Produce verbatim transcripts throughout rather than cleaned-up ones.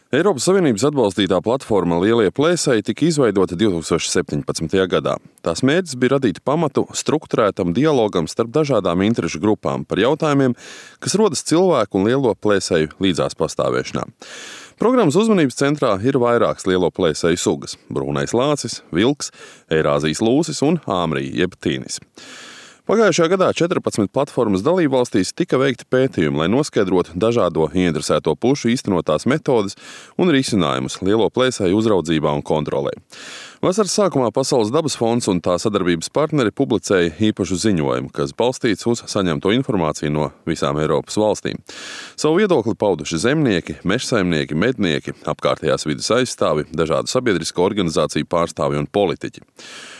Eiropas Savienības atbalstītā platforma Lielie plēsēji tika izveidota divi tūkstoši septiņpadsmitajā gadā. Tās mērķis bija radīt pamatu strukturētam dialogam starp dažādām interešu grupām par jautājumiem, kas rodas cilvēku un lielo plēsēju līdzās pastāvēšanā. Programmas uzmanības centrā ir vairākas lielo plēsēju sugas – brūnais lācis, vilks, Eirāzijas lūsis un āmrija jeb tīnis. Pagājušajā gadā četrpadsmit platformas dalībvalstīs tika veikti pētījumi, lai noskaidrotu dažādo ieinteresēto pušu īstenotās metodes un risinājumus lielo plēsēju uzraudzībā un kontrolē. Vasaras sākumā Pasaules dabas fonds un tā sadarbības partneri publicēja īpašu ziņojumu, kas balstīts uz saņemto informāciju no visām Eiropas valstīm. Savu viedokli pauduši zemnieki, mežsaimnieki, mednieki, apkārtējās vides aizstāvi, dažādu sabiedrisko organizāciju pārstāvi un politiķi.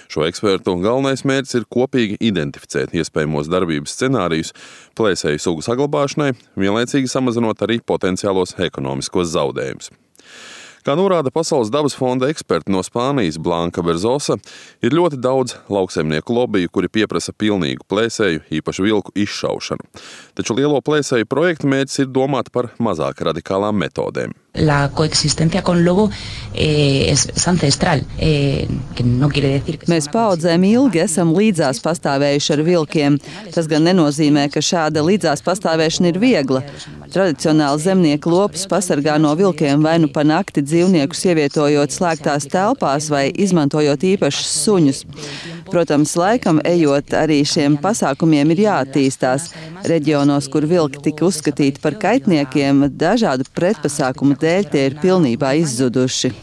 Šo ekspertu galvenais mērķis ir kopīgi identificēt iespējamos darbības scenārijus plēsēju sugu saglabāšanai, vienlaicīgi samazinot arī potenciālos ekonomiskos zaudējumus. Kā norāda Pasaules dabas fonda eksperti no Spānijas Blanka Berzosa, ir ļoti daudz lauksaimnieku lobiju, kuri pieprasa pilnīgu plēsēju, īpaši vilku izšaušanu. Taču lielo plēsēju projekta mērķis ir domāt par mazāk radikālām metodēm. La coexistencia con lobo eh, es, es ancestral, eh, que no quiere decir que... Mēs paudzēm ilgi esam līdzās pastāvējuši ar vilkiem. Tas gan nenozīmē, ka šāda līdzās pastāvēšana ir viegla. Tradicionāli zemnieku lopus pasargā no vilkiem vai nu pa nakti dzīvniekus ievietojot slēgtās telpās vai izmantojot īpašus suņus. Protams, laikam ejot arī šiem pasākumiem ir jāattīstās. Reģionos, kur vilki tika uzskatīti par kaitniekiem, dažādu pretpasākumu dēļ tie ir pilnībā izzuduši.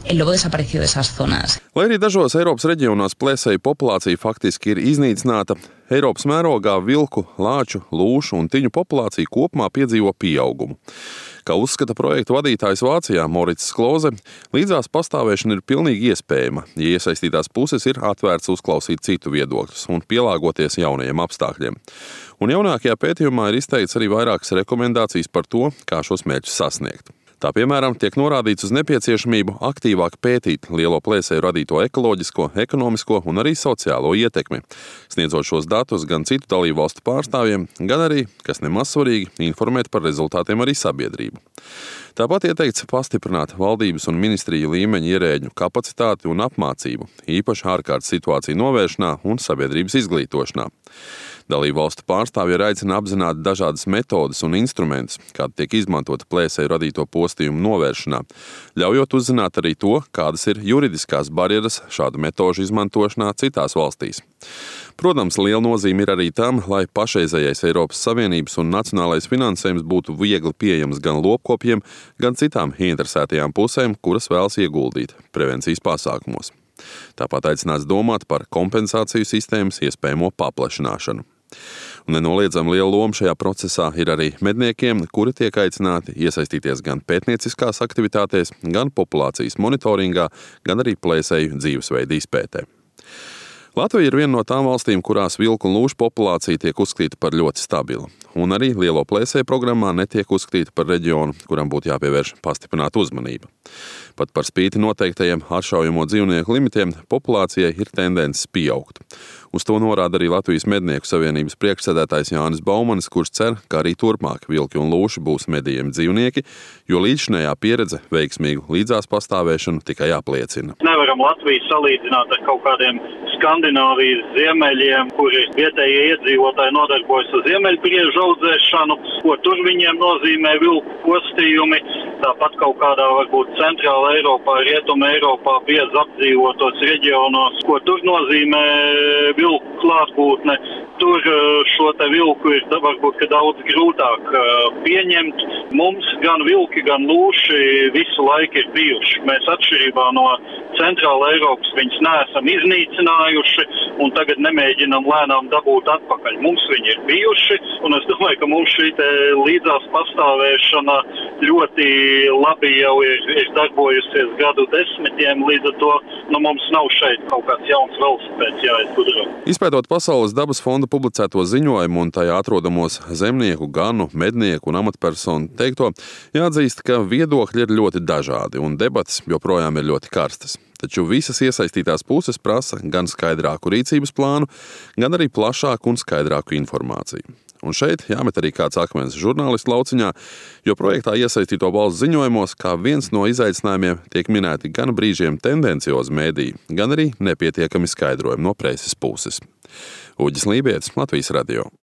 Lai arī dažos Eiropas reģionos plēsēju populācija faktiski ir iznīcināta, Eiropas mērogā vilku, lāču, lūšu un tiņu populācija kopumā piedzīvo pieaugumu. Kā uzskata projektu vadītājs Vācijā Morits Kloze, līdzās pastāvēšana ir pilnīgi iespējama, ja iesaistītās puses ir atvērts uzklausīt citu viedokļus un pielāgoties jaunajiem apstākļiem. Un jaunākajā pētījumā ir izteikts arī vairākas rekomendācijas par to, kā šos mērķus sasniegt. Tā, piemēram, tiek norādīts uz nepieciešamību aktīvāk pētīt lielo plēsēju radīto ekoloģisko, ekonomisko un arī sociālo ietekmi, sniedzot šos datus gan citu dalībvalstu pārstāvjiem, gan arī, kas nemaz svarīgi, informēt par rezultātiem arī sabiedrību. Tāpat ieteikts pastiprināt valdības un ministriju līmeņa ierēģu kapacitāti un apmācību, īpaši ārkārtas situāciju novēršanā un sabiedrības izglītošanā. Dalībvalstu pārstāvji ir aicina apzināt dažādas metodes un instrumentus, kādi tiek izmantoti plēsēju radīto postījumu novēršanā, ļaujot uzzināt arī to, kādas ir juridiskās barjeras šādu metožu izmantošanā citās valstīs. Protams, liela nozīme ir arī tam, lai pašreizējais Eiropas Savienības un nacionālais finansējums būtu viegli pieejams gan lopkopjiem, gan citām ieinteresētajām pusēm, kuras vēlas ieguldīt prevencijas pasākumos. Tāpat aicināts domāt par kompensāciju sistēmas iespējamo paplašināšanu. Un nenoliedzami liela loma šajā procesā ir arī medniekiem, kuri tiek aicināti iesaistīties gan pētnieciskās aktivitātēs, gan populācijas monitoringā, gan arī plēsēju dzīvesveidu izpētē. Latvija ir viena no tām valstīm, kurās vilku un lūšu populācija tiek uzskatīta par ļoti stabilu. Un arī lielo plēsēju programmā netiek uzskatīta par reģionu, kuram būtu jāpievērš pastiprināta uzmanība. Pat par spīti noteiktajiem atšaujamo dzīvnieku limitiem populācijai ir tendences pieaugt. Uz to norāda arī Latvijas mednieku savienības priekšsēdētājs Jānis Baumanis, kurš cer, ka arī turpmāk vilki un lūši būs medījami dzīvnieki, jo līdzinējā pieredze veiksmīgu līdzās pastāvēšanu tikai apliecina. Nevaram Latviju salīdzināt ar kaut kādiem Skandināvijas ziemeļiem, kuri vietējie iedzīvotāji nodarbojas ar ziemeļpriežu audzēšanu, ko tur viņiem nozīmē vilku postījumi. Tāpat kaut kādā varbūt centrāla Eiropā, rietuma Eiropā biezi apdzīvotos reģionos, ko tur nozīmē vilku klātbūtne. Tur šo te vilku ir varbūt ka daudz grūtāk pieņemt. Mums gan vilki, gan lūši visu laiku ir bijuši. Mēs atšķirībā no centrāla Eiropas viņus neesam iznīcinājuši un tagad nemēģinam lēnām dabūt atpakaļ. Mums viņi ir bijuši un es domāju, ka mums šī te līdzās pastāvēšana ļoti labi jau ir, ir darbojusies gadu desmitiem, līdz ar to nu, mums nav šeit kaut kāds jauns velosipēds jāizgudro. Izpētot Pasaules dabas fonda publicēto ziņojumu un tajā atrodamos zemnieku, ganu, mednieku un amatpersonu teikto, jāatzīst, ka viedokļi ir ļoti dažādi un debates joprojām ir ļoti karstas. Taču visas iesaistītās puses prasa gan skaidrāku rīcības plānu, gan arī plašāku un skaidrāku informāciju. Un šeit jāmet arī kāds akmens žurnālistu lauciņā, jo projektā iesaistīto valsts ziņojumos kā viens no izaicinājumiem tiek minēti gan brīžiem tendenciozi mēdīji, gan arī nepietiekami skaidrojumi no preses puses. Uģis Lībietis, Latvijas radio.